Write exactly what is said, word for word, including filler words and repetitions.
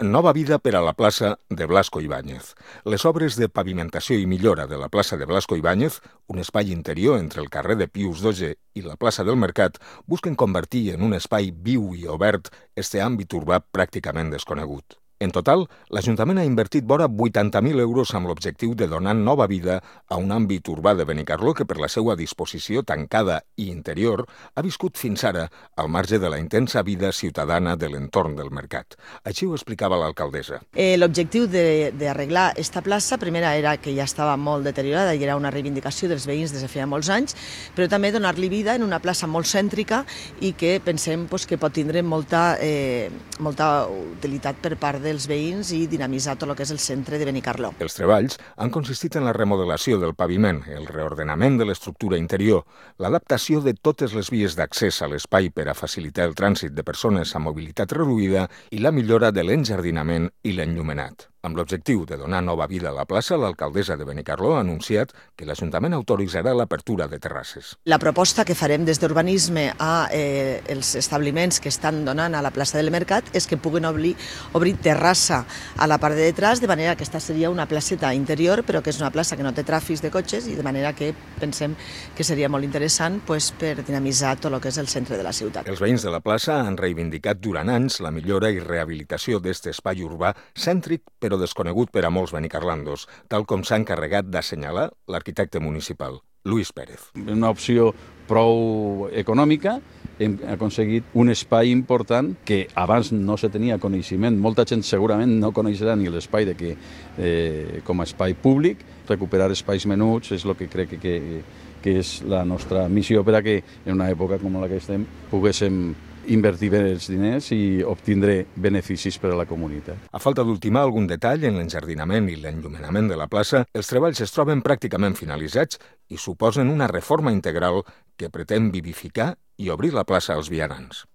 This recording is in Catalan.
Nova vida per a la plaça de Blasco Ibáñez. Les obres de pavimentació i millora de la plaça de Blasco Ibáñez, un espai interior entre el carrer de Pius dotzè i la plaça del Mercat, busquen convertir en un espai viu i obert este àmbit urbà pràcticament desconegut. En total, l'Ajuntament ha invertit vora vuitanta mil euros amb l'objectiu de donar nova vida a un àmbit urbà de Benicarló que per la seva disposició tancada i interior ha viscut fins ara al marge de la intensa vida ciutadana de l'entorn del mercat. Així ho explicava l'alcaldessa. Eh, L'objectiu d'arreglar esta plaça, primera, era que ja estava molt deteriorada i era una reivindicació dels veïns des de feia molts anys, però també donar-li vida en una plaça molt cèntrica i que pensem pues, que pot tindre molta, eh, molta utilitat per part de dels veïns i dinamitzar tot el que és el centre de Benicarló. Els treballs han consistit en la remodelació del paviment, el reordenament de l'estructura interior, l'adaptació de totes les vies d'accés a l'espai per a facilitar el trànsit de persones amb mobilitat reduïda i la millora de l'enjardinament i l'enllumenat. Amb l'objectiu de donar nova vida a la plaça, l'alcaldessa de Benicarló ha anunciat que l'Ajuntament autoritzarà l'apertura de terrasses. La proposta que farem des d'urbanisme a eh, els establiments que estan donant a la plaça del Mercat és que puguen obrir, obrir terrassa a la part de detrás, de manera que aquesta seria una placeta interior, però que és una plaça que no té tràfics de cotxes i de manera que pensem que seria molt interessant pues, per dinamitzar tot el que és el centre de la ciutat. Els veïns de la plaça han reivindicat durant anys la millora i rehabilitació d'aquest espai urbà cèntric però desconegut per a molts benicarlandos, tal com s'ha encarregat d'assenyalar l'arquitecte municipal, Luis Pérez. Una opció prou econòmica, hem aconseguit un espai important que abans no se tenia coneixement. Molta gent segurament no coneixerà ni l'espai de que, eh, com a espai públic. Recuperar espais menuts és el que crec que, que, que és la nostra missió per a que en una època com la que estem poguéssim invertir bé els diners i obtindre beneficis per a la comunitat. A falta d'ultimar algun detall en l'enjardinament i l'enllumenament de la plaça, els treballs es troben pràcticament finalitzats i suposen una reforma integral que pretén vivificar i obrir la plaça als vianants.